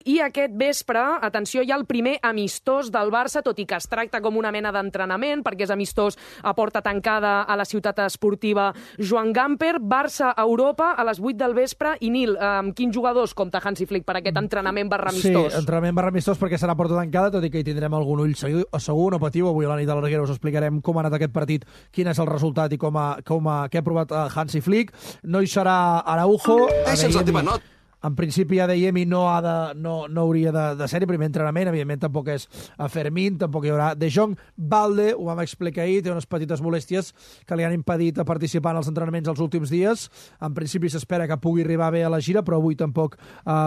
I aquest vespre, atenció, hi ha el primer amistós del Barça, tot i que es tracta com una mena d'entrenament, perquè és amistós a porta tancada a la ciutat esportiva Joan Gamper. Barça a Europa a les 8 del vespre. I Nil, amb quins jugadors compta Hansi Flick per aquest entrenament barra amistós? Sí, entrenament barra amistós perquè serà porta tancada, tot i que hi tindrem algun ull segur, no patiu. Avui a la nit de l'Arguera us explicarem com ha anat aquest partit, quin és el resultat i què ha provat Hansi Flick. No hi serà Araujo. En principi Adeyemi no hauria de ser-hi, primer entrenament, evidentment tampoc és a Fermín, tampoc hi haurà De Jong. Balde, ho vam explicar ahir, té unes petites molèsties que li han impedit participar en els entrenaments els últims dies. En principi s'espera que pugui arribar bé a la gira, però avui tampoc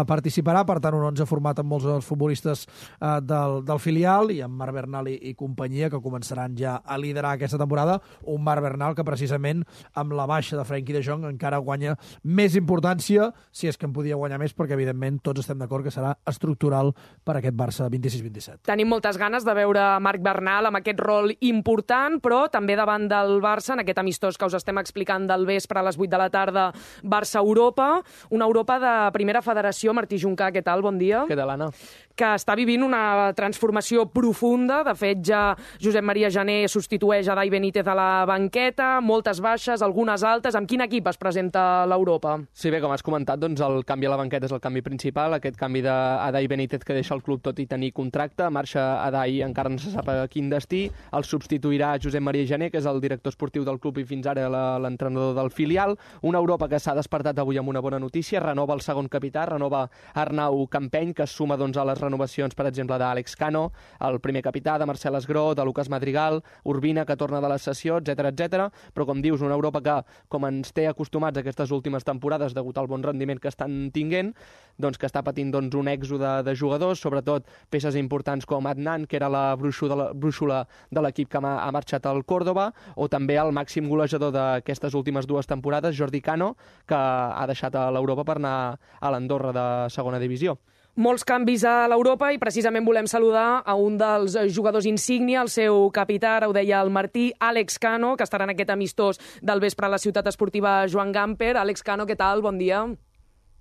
participarà, per tant un 11 format amb molts dels futbolistes del filial i amb Marc Bernal i companyia, que començaran ja a liderar aquesta temporada. Un Marc Bernal que precisament amb la baixa de Frenkie de Jong encara guanya més importància, si és que en podia guanyar més, perquè evidentment tots estem d'acord que serà estructural per aquest Barça 26-27. Tenim moltes ganes de veure Marc Bernal amb aquest rol important, però també davant del Barça, en aquest amistós que us estem explicant del vespre a les 8 de la tarda, Barça-Europa, una Europa de primera federació. Martí Juncà, què tal? Bon dia. Què tal, Anna? Que està vivint una transformació profunda. De fet, ja Josep Maria Jané substitueix a Dai Benítez a la banqueta, moltes baixes, algunes altes. Amb quin equip es presenta l'Europa? Sí, bé, com has comentat, doncs el canvi a la banqueta és el canvi principal, aquest canvi d'Adai Benítez que deixa el club tot i tenir contracte. Marxa Adai, encara no se sap a quin destí. El substituirà Josep Maria Jané, que és el director esportiu del club i fins ara l'entrenador del filial. Una Europa que s'ha despertat avui amb una bona notícia, renova el segon capità, renova Arnau Campeny, que es suma doncs, a les renovacions, per exemple, d'Àlex Cano, el primer capità, de Marcel Esgró, de Lucas Madrigal, Urbina, que torna de la sessió, etc. Però, com dius, una Europa que, com ens té acostumats aquestes últimes temporades, degut al bon rendiment que estan tinguent, doncs que està patint un èxode de jugadors, sobretot peces importants com Adnan, que era la brúixola de l'equip que ha marxat al Córdoba, o també el màxim golejador d'aquestes últimes dues temporades, Jordi Cano, que ha deixat a l'Europa per anar a l'Andorra de segona divisió. Molts canvis a l'Europa i precisament volem saludar a un dels jugadors insígnia, el seu capità, ara ho deia el Martí, Àlex Cano, que estarà en aquest amistós del vespre a la ciutat esportiva Joan Gamper. Àlex Cano, què tal? Bon dia.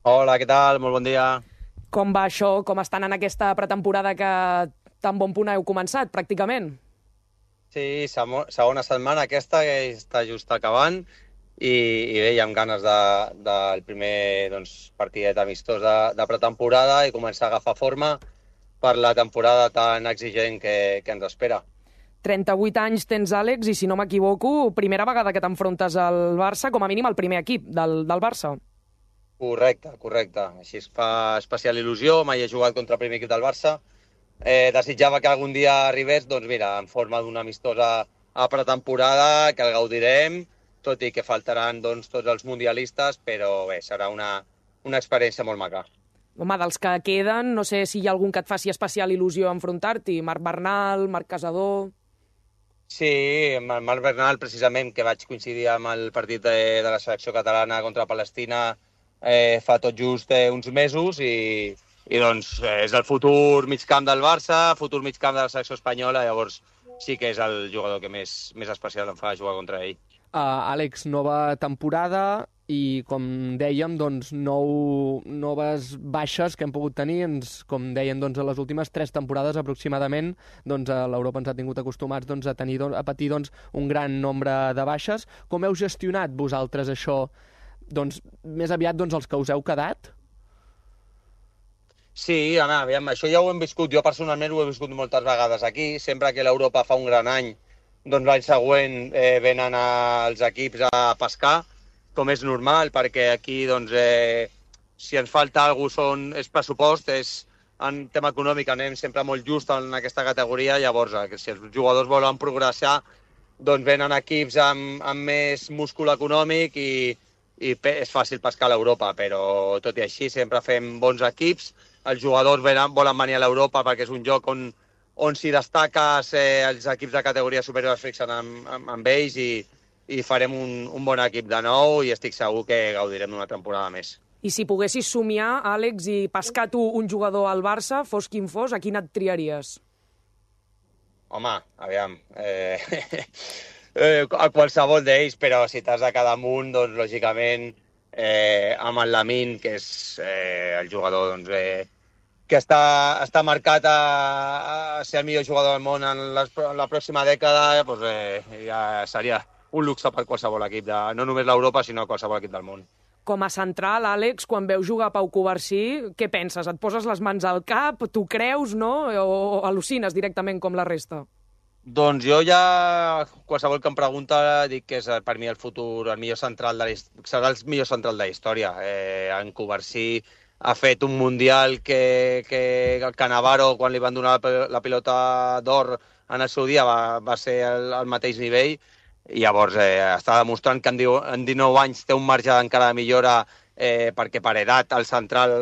Hola, què tal? Molt bon dia. Com va això? Com estan en aquesta pretemporada que tan bon punt heu començat, pràcticament? Sí, segona setmana aquesta, que està just acabant, i bé, hi ha ganes del primer partidet amistós de pretemporada i començar a agafar forma per la temporada tan exigent que ens espera. 38 anys tens, Àlex, i si no m'equivoco, primera vegada que t'enfrontes al Barça, com a mínim al primer equip del Barça. Correcte. Així es fa especial il·lusió, mai he jugat contra el primer equip del Barça. Desitjava que algun dia arribés, doncs mira, en forma d'un amistós a pretemporada, que el gaudirem, tot i que faltaran tots els mundialistes, però bé, serà una experiència molt maca. Home, dels que queden, no sé si hi ha algun que et faci especial il·lusió enfrontar-t'hi. Marc Bernal, Marc Casador... Sí, amb Marc Bernal, precisament, que vaig coincidir amb el partit de la selecció catalana contra Palestina fa tot just uns mesos i doncs és el futur migcamp del Barça, futur migcamp de la selecció espanyola, llavors sí que és el jugador que més especial em fa jugar contra ell. Àlex, nova temporada i, com dèiem, doncs, noves baixes que hem pogut tenir. Com deien, doncs, a les últimes 3 temporades aproximadament, doncs, l'Europa ens ha tingut acostumats a patir un gran nombre de baixes. Com heu gestionat vosaltres això? Doncs, més aviat els que us heu quedat? Sí, aviam, això ja ho hem viscut. Jo personalment ho he viscut moltes vegades aquí. Sempre que l'Europa fa un gran any, doncs l'any següent venen els equips a pescar, com és normal, perquè aquí si ens falta alguna cosa és pressupost, en tema econòmic anem sempre molt just en aquesta categoria, llavors si els jugadors volen progressar, doncs venen equips amb més múscul econòmic i és fàcil pescar a l'Europa, però tot i així sempre fem bons equips, els jugadors volen venir a l'Europa perquè és un lloc on si destaques els equips de categoria superior es fixen amb ells i farem un bon equip de nou i estic segur que gaudirem d'una temporada més. I si poguessis somiar, Àlex, i pescar tu un jugador al Barça, fos quin fos, a quin et triaries? Home, aviam, a qualsevol d'ells, però si t'has de quedar amunt, doncs lògicament amb el Lamine, que és el jugador està marcat a ser el millor jugador del món en la pròxima dècada, doncs, ja seria un luxe per qualsevol equip, no només l'Europa, sinó qualsevol equip del món. Com a central, Àlex, quan veus jugar Pau Covarsí, què penses? Et poses les mans al cap, t'ho creus, no? O al·lucines directament com la resta? Doncs jo ja, qualsevol que em pregunta, dic que és per mi el futur, el millor central serà el millor central de la història. En Covarsí ha fet un mundial que el Cannavaro, quan li van donar la pilota d'or en el seu dia, va ser al mateix nivell, i llavors està demostrant que en 19 anys té un marge encara de millora, perquè per edat el central,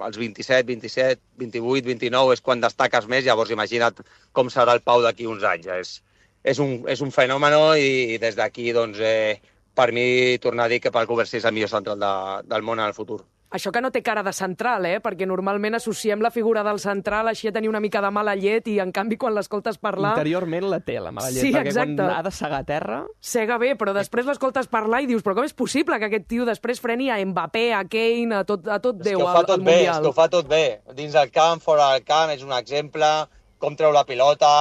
als 27, 27, 28, 29, és quan destaques més, llavors imagina't com serà el Pau d'aquí uns anys. És un fenomen, i des d'aquí, doncs, per mi, tornar a dir que Pau Covarsí és el millor central del món en el futur. Això que no té cara de central, perquè normalment associem la figura del central així a tenir una mica de mala llet i, en canvi, quan l'escoltes parlar... Interiorment la té, la mala llet, sí, perquè exacte. Quan ha de segar a terra... Sega bé, però després l'escoltes parlar i dius, però com és possible que aquest tio després freni a Mbappé, a Kane, a tot Déu al Mundial? És que ho fa tot bé. Dins del camp, fora del camp, és un exemple, com treu la pilota,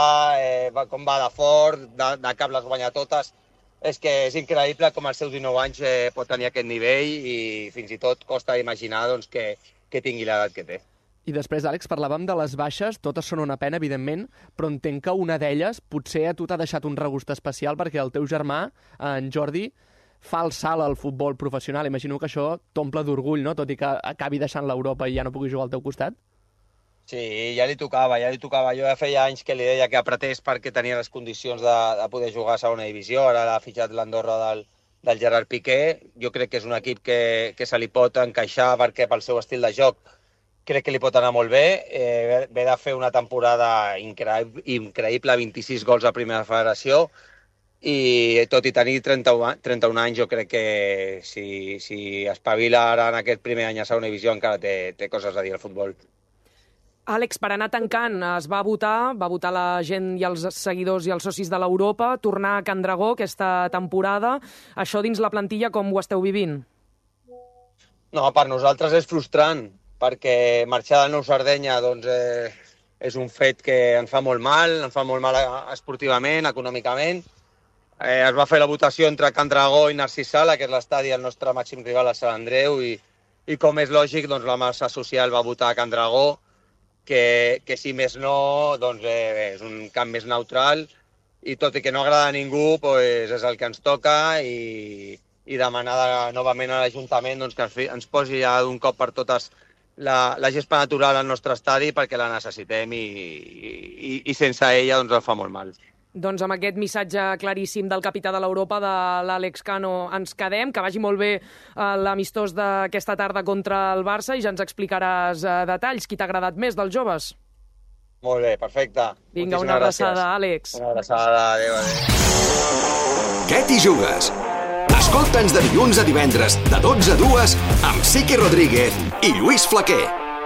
com va de fort, de cap les guanya totes. És que és increïble com als seus 19 anys pot tenir aquest nivell, i fins i tot costa imaginar doncs, que tingui l'edat que té. I després, Àlex, parlàvem de les baixes, totes són una pena, evidentment, però entenc que una d'elles potser a tu t'ha deixat un regust especial perquè el teu germà, en Jordi, fa el salt al futbol professional. Imagino que això t'omple d'orgull, no? Tot i que acabi deixant l'Europa i ja no pugui jugar al teu costat. Sí, ja li tocava. Jo ja feia anys que li deia que apretés perquè tenia les condicions de poder jugar a segona divisió. Ara l'ha fitxat l'Andorra del Gerard Piqué. Jo crec que és un equip que se li pot encaixar perquè pel seu estil de joc crec que li pot anar molt bé. Ve de fer una temporada increïble, 26 gols a primera federació, i tot i tenir 31 anys, jo crec que si espavila ara en aquest primer any a segona divisió encara té coses a dir al futbol. Àlex, per anar tancant, es va votar la gent i els seguidors i els socis de l'Europa, tornar a Can Dragó aquesta temporada. Això dins la plantilla com ho esteu vivint? No, per nosaltres és frustrant, perquè marxar del Nou Sardenya doncs, és un fet que ens fa molt mal esportivament, econòmicament. Es va fer la votació entre Can Dragó i Narcís Sala, que és l'estadi del nostre màxim rival a Sant Andreu, i com és lògic, doncs, la massa social va votar a Can Dragó, que si més no, doncs, és un camp més neutral, i tot i que no agrada a ningú, doncs, és el que ens toca, i demanar novament a l'Ajuntament doncs, que ens posi ja d'un cop per totes la gespa natural al nostre estadi, perquè la necessitem, i sense ella doncs, ens fa molt mal. Doncs amb aquest missatge claríssim del capità de l'Europa, de l'Àlex Cano, ens quedem. Que vagi molt bé l'amistós d'aquesta tarda contra el Barça, i ja ens explicaràs detalls. Qui t'ha agradat més dels joves? Molt bé, perfecte. Vinga, una abraçada, Àlex. Una abraçada, adéu. Què t'hi jugues? Escolta'ns de dilluns a divendres, de 12 a 2, amb Siqui Rodríguez i Lluís Flaquer.